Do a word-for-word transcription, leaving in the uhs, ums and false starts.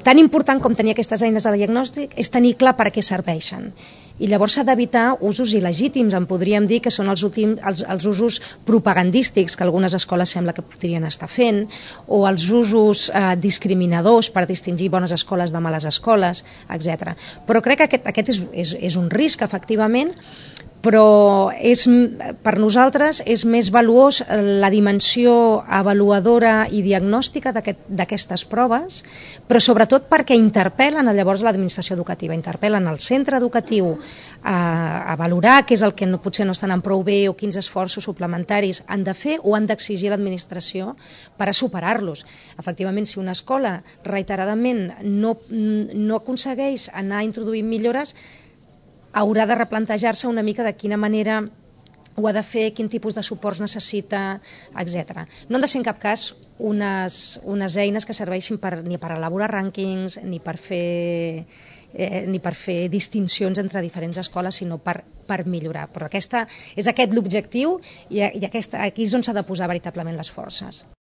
tan important com tenir aquestes eines de diagnòstic és tenir clar per què serveixen. I llavors s'ha d'evitar usos il·legítims, en podríem dir que són els, últims, els, els usos propagandístics que algunes escoles sembla que podrien estar fent, o els usos eh, discriminadors per distingir bones escoles de males escoles, etcètera. Però crec que aquest, aquest és, és, és un risc, efectivament, però és, per nosaltres és més valuós la dimensió avaluadora i diagnòstica d'aquestes proves, però sobretot perquè interpel·len llavors l'administració educativa, interpel·len el centre educatiu a, a valorar què és el que no, potser no estan anant prou bé o quins esforços suplementaris han de fer o han d'exigir l'administració per a superar-los. Efectivament, si una escola reiteradament no, no aconsegueix anar introduint millores, haurà de replantejar-se una mica de quina manera ho ha de fer, quin tipus de suports necessita, etcètera. No han de ser en cap cas unes, unes eines que serveixin per, ni per elaborar rànquings, ni per fer, eh, ni per fer distincions entre diferents escoles, sinó per, per millorar. Però aquesta, és aquest l'objectiu i, i aquesta, aquí és on s'ha de posar veritablement les forces.